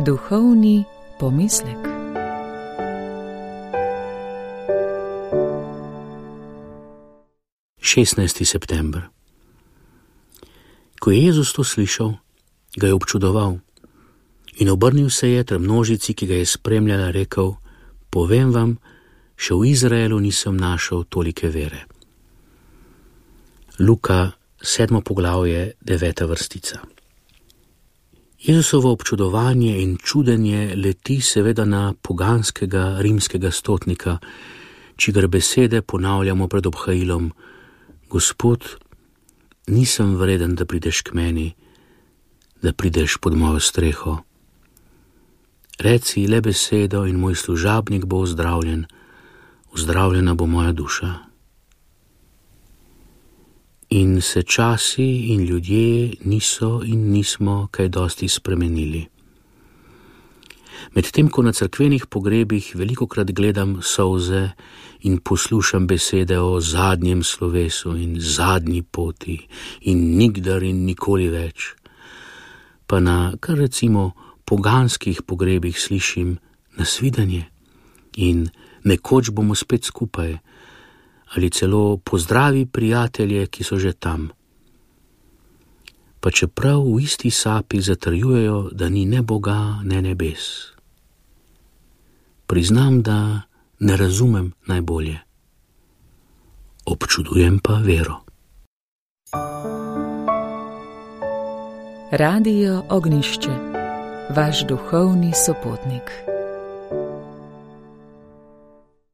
Duhovni pomislek. Šestnajsti september. Ko je Jezus to slišal, ga je občudoval in obrnil se je ter množici, ki ga je spremljala, rekel: povem vam, še v Izraelu nisem našel tolike vere. Luka, 7. poglavje, 9. vrstica. Jezusovo občudovanje in čudenje leti seveda na poganskega rimskega stotnika, čigar besede ponavljamo pred obhajilom: Gospod, nisem vreden, da prideš k meni, da prideš pod mojo streho. Reci le besedo in moj služabnik bo ozdravljen, ozdravljena bo moja duša. In se časi in ljudje niso in nismo kaj dosti spremenili. Medtem ko na cerkvenih pogrebih velikokrat gledam solze in poslušam besede o zadnjem slovesu in zadnji poti in nikdar in nikoli več, pa na kar recimo poganskih pogrebih slišim nasvidenje in nekoč bomo spet skupaj, ali celo pozdravi prijatelje, ki so že tam. Pa čeprav v isti sapi zatrjujejo, da ni ne Boga, ne nebes. Priznam, da ne razumem najbolje. Občudujem pa vero. Radio Ognjišče, vaš duhovni sopotnik.